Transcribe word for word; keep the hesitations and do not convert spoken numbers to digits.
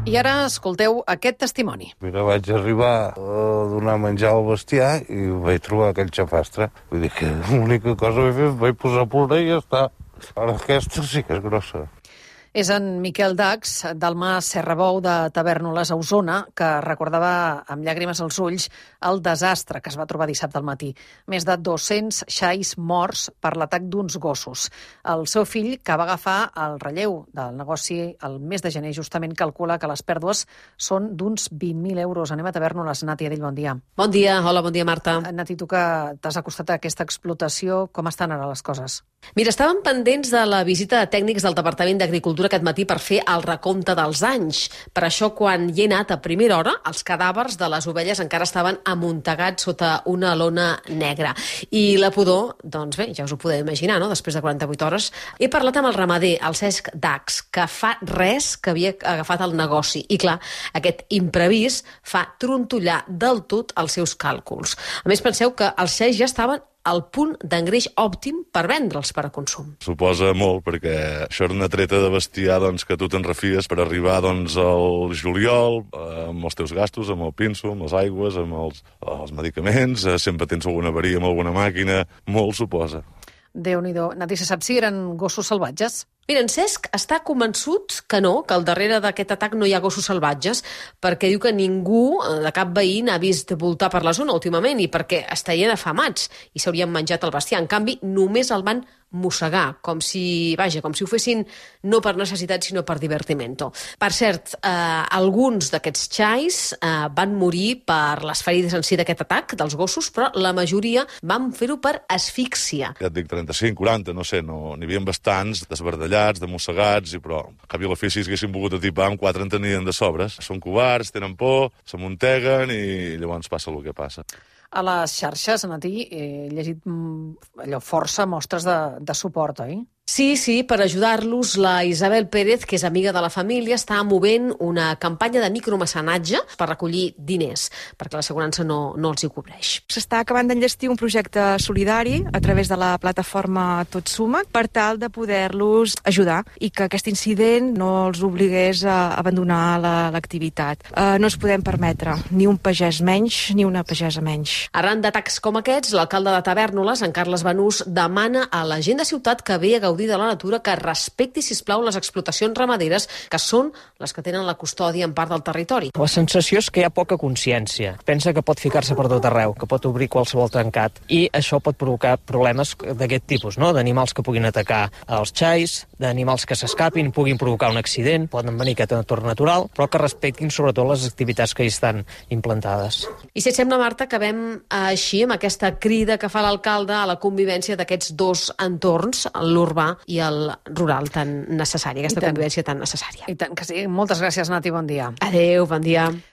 I ara escolteu aquest testimoni. Mira, vaig arribar a donar menjar al bestiar i vaig trobar aquell xafastre. Vull dir que l'única cosa que vaig fer vaig posar a plorar i ja està. Ara aquesta sí que és grossa. És en Miquel Dax, del Mas Serrabou de Tavèrnoles, a Osona, que recordava amb llàgrimes als ulls el desastre que es va trobar dissabte al matí. Més de dos-cents xais morts per l'atac d'uns gossos. El seu fill, que va agafar el relleu del negoci el mes de gener, justament calcula que les pèrdues són d'uns vint mil euros. Anem a Tavèrnoles. Nati Adell, bon dia. Bon dia, hola, bon dia, Marta. Nati, tu que t'has acostat a aquesta explotació, com estan ara les coses? Mira, estàvem pendents de la visita de tècnics del Departament d'Agricultura aquest matí per fer el recompte dels anys. Per això, quan hi he anat a primera hora, els cadàvers de les ovelles encara estaven amuntegats sota una lona negra. I la pudor, doncs bé, ja us ho podeu imaginar, no?, després de quaranta-vuit hores. He parlat amb el ramader, el Cesc Dax, que fa res que havia agafat el negoci. I clar, aquest imprevist fa trontollar del tot els seus càlculs. A més, penseu que els xais ja estaven al punt d'engreix òptim per vendre'ls per a consum. Suposa molt, perquè això era una treta de bestiar doncs, que tu te'n refies per arribar doncs, al juliol, eh, amb els teus gastos, amb el pinso, amb les aigües, amb els, els medicaments, eh, sempre tens alguna avaria amb alguna màquina, molt suposa. Déu-n'hi-do. Nati, se sap si eren gossos salvatges? Mira, en Cesc està convençut que no, que al darrere d'aquest atac no hi ha gossos salvatges, perquè diu que ningú de cap veí n'ha vist voltar per la zona últimament i perquè estarien afamats i s'haurien menjat el bestiar. En canvi, només el van mossegar, com si, vaja, com si ho fessin no per necessitat, sinó per divertimento. Per cert, eh, alguns d'aquests xais eh, van morir per les ferides en si d'aquest atac dels gossos, però la majoria van fer-ho per asfíxia. Ja et dic, trenta-cinc, quaranta, no sé, no, n'hi havia bastants desbardellats, de mossegats, i però al cap i a la fi si haguessin volgut atipar, amb quatre en tenien de sobres. Són covards, tenen por, s'amunteguen i llavors passa el que passa. A les xarxes, Nati, he llegit mm, allò força mostres de, de suport, oi? Sí, sí, per ajudar-los, la Isabel Pérez, que és amiga de la família, està movent una campanya de micromecenatge per recollir diners, perquè l'assegurança no, no els hi cobreix. S'està acabant d'enllestir un projecte solidari a través de la plataforma Tot Suma per tal de poder-los ajudar i que aquest incident no els obligués a abandonar l'activitat. La, eh, no ens podem permetre ni un pagès menys ni una pagesa menys. Arran d'atacs com aquests, l'alcalde de Tavèrnoles, en Carles Banús, demana a la gent de ciutat que ve a gaudir de la natura que respecti, sisplau, les explotacions ramaderes, que són les que tenen la custòdia en part del territori. La sensació és que hi ha poca consciència. Pensa que pot ficar-se per tot arreu, que pot obrir qualsevol trencat, i això pot provocar problemes d'aquest tipus, no?, d'animals que puguin atacar els xais, d'animals que s'escapin, puguin provocar un accident, poden venir aquest entorn natural, però que respectin sobretot les activitats que hi estan implantades. I si et sembla, Marta, acabem així amb aquesta crida que fa l'alcalde a la convivència d'aquests dos entorns, l'urbà i el rural tan necessari, aquesta convivència tan necessària. I tant que sí. Moltes gràcies, Nati, bon dia. Adéu, bon dia.